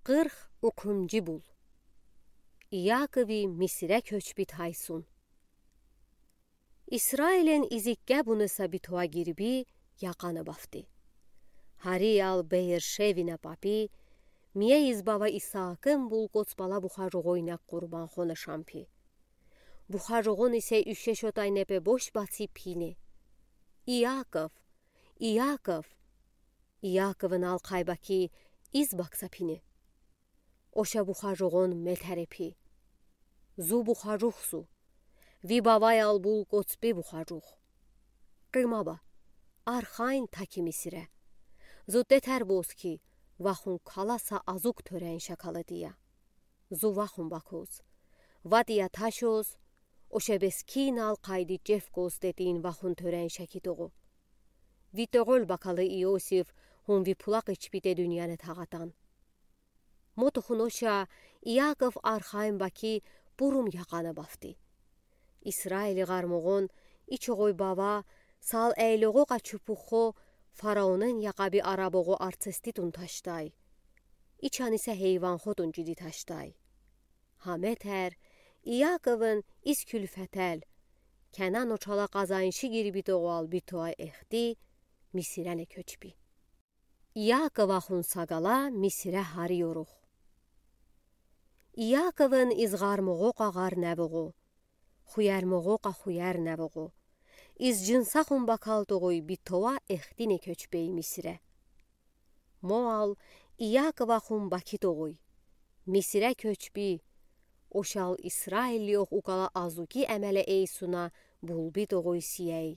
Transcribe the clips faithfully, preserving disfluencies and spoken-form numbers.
Qırx ukhuncu bul. İakovı Misirə köçbi tayson. İsrailin izikə bunısa bitoə girbi yəğanı bəvdi. Hariəl Beer-Şevinə bəpi, miyə iz bava İsaakın bul qoç bala buxaroğoynə qurban xonə şampi. Buxaroğon isə üşə şotay nepe boş bəçi pini: "İakov, İakov!" İakovın alqay bəki iz bəksə pini. Oşə buxaroğon metəre pi: "Zu buxaroğ zu, vi bavayəl bul qoçbi buxaroğ. Qıma bə, arxayn taki Misirə. Zu tetər boz ki, vaxun kalasa azıq törən şəkalı diyə. Zu vaxun bəkoz, vadiyə taşoz, oşə beskinəl qaydı cevkoz dedin vaxun törən şəki toğo. Vi toğol bəkalı İosif hun vi pulaq içbi de dınyanə tağatan." Motuxun oşə İakov arxayn bəki burum yəğanı bəvdi. İsraili ğarmoğon içoğoy bava sal əyloğoqə çupuxo faraonın yəğəbi araboğo artsesti tun taşday. İçən isə heyvanxo tun cidi taşday. Həmətər İakovın iz külfətəl, Kənan oçala qazanşi girbi toğal bitoə exti Misirənə köçbi. İakovəxun sağala Misirə hariyoruğ. İakovın iz ğarmoğoqə ğar nəvoğo, xuyərmoğoqə xuyər nəvoğo, iz cınsəxun bəkal toğoy bitoə extinə köçbey Misirə. Moəl İakovəxun bəki toğoy, Misirə köçbi, oşəl İsrailliyox uqala azuki əmələ eysunə bulbi toğoy siyəy.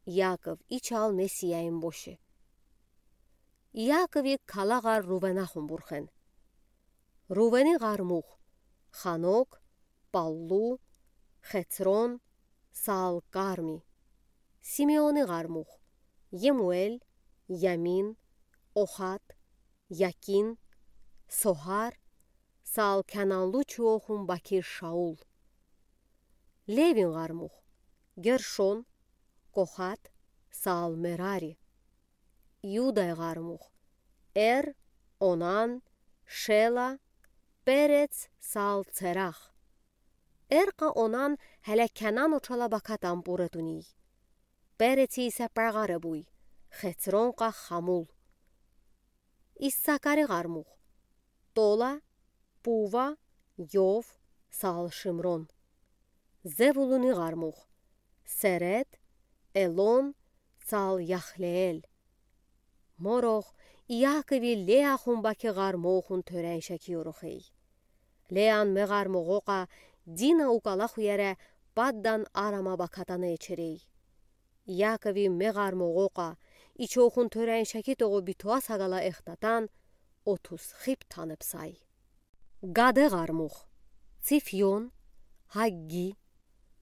İakov içəl me siyəyin boşe. İakovi kala ğar Ruvenəxun burxen. Ruveni ğarmux: Xanok, Pallu, Xecron, sal Karmi. Simeoni ğarmux: Yemuel, Yamin, Oxat, Yakin, Sohar, sal kənanlı çuoxun bəki Şaul. Levin ğarmux: Gerşon, Qoxat, sal Merari. İuday ğarmux: Er, Onan, Şela, Perets, sal Tserax. Erqə Onan hələ Kənan oçala bəkətən purə tuniy. Peretsi isə pəğarə buy, Xecronqə Xamul. İssakari ğarmux: Tola, Puva, Yov, sal Şimron. Zevuluni ğarmux: Seret, Elon, sal Yaxleel. Moroğ İakovi Leaxun bəki ğarmoxun törən şəkiyoruxey. Lean me ğarmoğoqə Dina uqala xuyərə Paddan-Arama bəkətəni eçerey. İakovi me ğarmoğoqə içoxun törən şəki toğo bitoə sağala extətən otuz xip tanıbsay. Qade ğarmux: Tsifion, Haggi,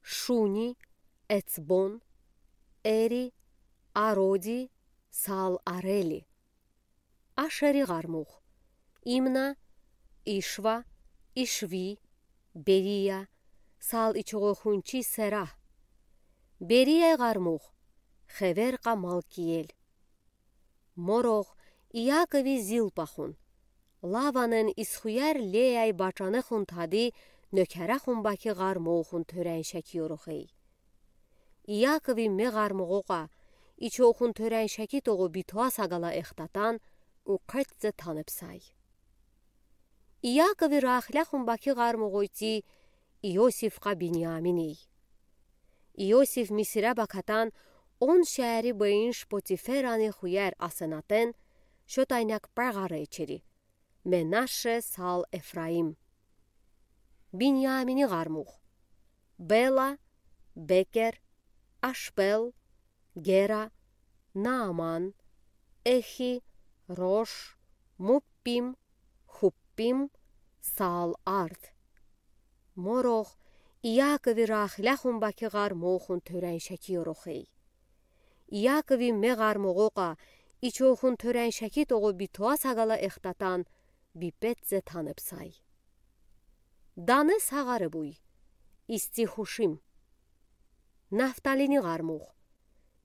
Şuni, Etsbon, Eri, Arodi, sal Areli. Aşeri ğarmux: İmna, İşva, İşvi, Beriya, sal içoğoy xunçi Sera. Beriyay ğarmux: Xeverqə Malkiel. Moroğ İakovi Zilpaxun, Lavanın izxuyər Leay baçanıxun tadi nökərəxun bəki ğarmoxun törən şəkiyoruxey. İakovi me ğarmoğoqə içoxun törən şəki toğo bitoə sağala extətən uqetsə tanıbsay. İakovi Raxiləxun bəki ğarmoğoy tı İosifqə Binyaminey. İosif Misirə bəkətən on şəri bıyınş Potiferəni xuyər Asenatın şotay nək pəğarə eçeri: Menəşe sal Efraim. Binyamini ğarmux: Bela, Beker, Aşbel, Gera, Naaman, Exi, Roş, Muppim, Xuppim, sal Ard. Moroğ İakovi Raxiləxun bəki ğarmoxun törən şəkiyoruxey. İakovi me ğarmoğoqə içoxun törən şəki toğo bitoə sağala extətən bipetsə tanıbsay. Dane sağarı buy, İsti-Xuşim. Naftalini ğarmux: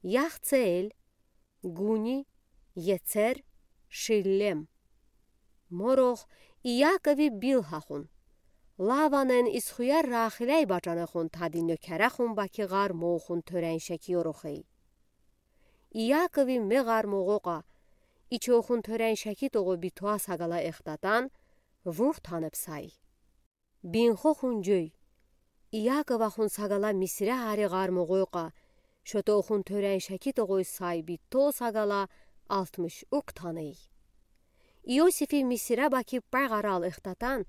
Yaxtseel, Quni, Yetser, Şillem. Морох Иакови Билһахун, Лаванэн из хуяр Рахиляй баӵанахун, тади нёкерахун Бакиғар моухун тёрен шеки ёрохи. Иакови меғар моғоқа, ичохун тёрен шеки тоғо битоа сагала эхтатан, вур таныбсай. Бинхохун ӟой, Иаковахун сагала Мисире ариғар моғоқа, шотохун тёрен шеки тоғой сай бито сагала алтмыш ук таный. Иосифи Мисире Баки пеғарал эхтатан,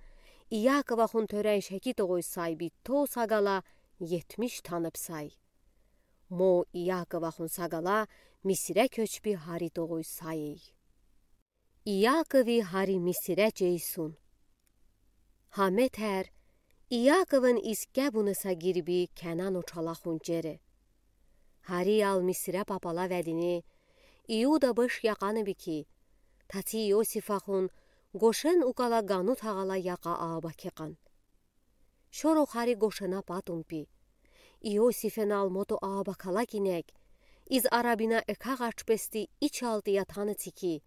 Иаковахун тёрен шеки тоғой сай бито сагала етмиш таныбсай. Мо Иаковахун сагала Мисире кёчби һари тоғой сайы. Иакови һари Мисире чейсун. Һа метер Иаковын из кебунаса гирби Кенан очалахун чери. Һари ал Мисире папала ведини, Иуда быш яқаныб ки, татси Иосифахун Гошен укала Ганут ағала яқа ааб акекан. Шоро һари Гошена патун пи. Иосифен ал мото ааб акала кинек, из арабина экагъач пести ичалти ятаны цики,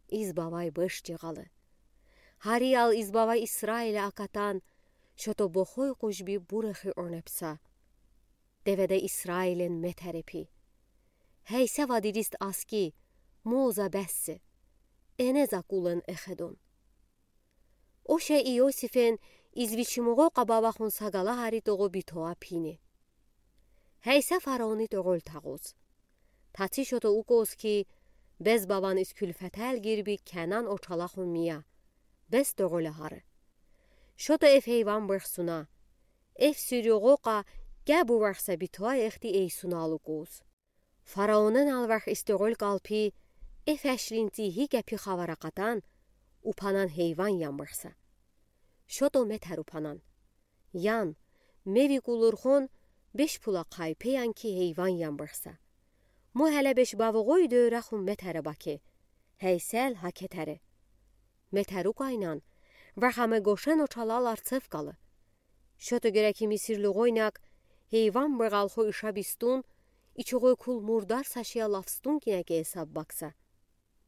из бавай быш чеғалы. Һари ал из бавай Исраиле акатан, шото бохой къужби бурехи онепса. Деведе Исраилен метери пи. Һейсэ вадидист аски, мол за бессе. Эне за кулэн эхедон. Оше Иосифен из вичи моғоқа бавахун сагала һари тоғо битоа пини. Һейсэ фараони тоғол тағуз. Татси шото укоз ки, бес баван из кюлфетел гирби Кенан очалахун мия. Бес тоғоле һары. Шото эв һейван бырхсуна. Эв сюрюғоқа кебу варса битоа эхти эйсуна ал укоз. Фараонэн ал варх из тоғол калпи, эв эшлинти һи кепи хавар акатан, упанан һейван ямбырса. Шото метер упанан. Ян, меви кулурхон, беш пула хайпе янки һейван ямбырса. Мо һеле беш бавуғой дӧрахун метере Баки. Һейсэл һа кетери. Метер укайнан, вархаме Гошен очалал арцев калы. Шото гереки мисирлуғойнак, һейван бырғалхо иша бистун, ичуғой кул мурдар сашия лавстун кинеке эсап бакса.